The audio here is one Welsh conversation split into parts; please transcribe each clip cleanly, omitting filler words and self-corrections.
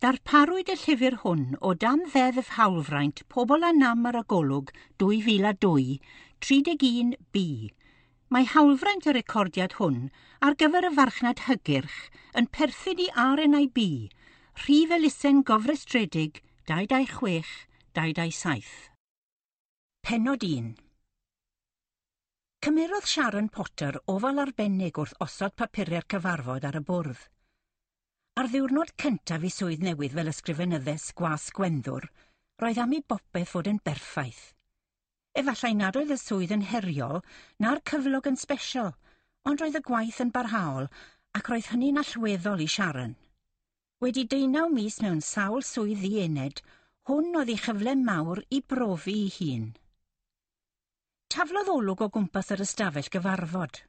Darparwyd y llyfr hwn o dan Ddeddf Hawlfraint Pobl â Nam ar y Golwg 2002, 31B. Mae hawlfraint y recordiad hwn ar gyfer y farchnad hygyrch yn perthyn i RNIB, rhif elusen gofrestredig 226 227. Pennod 1. Cymerodd Sharon Potter ofal arbennig wrth osod papurau'r cyfarfod ar y bwrdd. Ar ddiwrnod cyntaf ei swydd newydd fel ysgrifenyddes gwas Gwenddwr, roedd am i bopeth fod yn berffaith. Efallai nad oedd y swydd yn heriol na'r cyflog yn sbesial, ond roedd y gwaith yn barhaol ac roedd hynny'n allweddol i Sharon. Wedi 18 mis mewn sawl swydd ddiened, hwn oedd ei chyfle mawr i brofi ei hun. Taflodd olwg o gwmpas yr ystafell gyfarfod.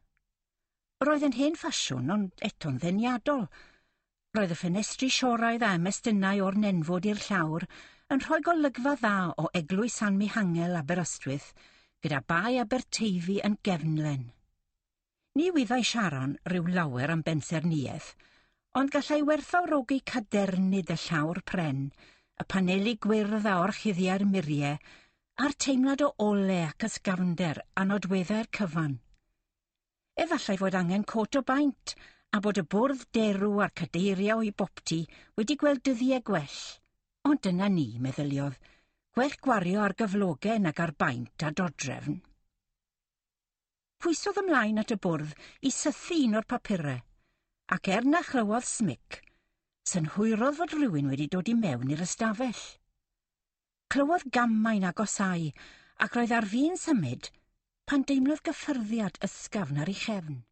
Roedd yn hen ffasiwn, ond eto'n ddeniadol. Roedd y ffenestri sioraidd a ymestynnau o'r nenfwd i'r llawr yn rhoi golygfa dda o Eglwys San Mihangel Aberystwyth gyda Bae Aberteifi yn gefnlen. Ni wyddai Sharon rhyw lawer am bensaernïaeth, ond gallai werthfawrogi cadernid y llawr pren, y paneli gwyrdd a orchuddiau'r muriau, a'r teimlad o ole ac ysgafnder a nodweddau'r cyfan. Efallai fod angen cot o baent a bod y bwrdd derw a'r cadeiriau o'i boptu wedi gweld dyddiau gwell. Ond dyna ni, meddyliodd, gwell gwario ar gyflogau nag ar baent a dodrefn. Pwysodd ymlaen at y bwrdd i sythu un o'r papurau, ac er na chlywodd smic, synhwyrodd fod rhywun wedi dod i mewn i'r ystafell. Clywodd gamau'n agosáu, ac roedd ar fin symud pan deimlodd gyffyrddiad ysgafn ar ei chefn.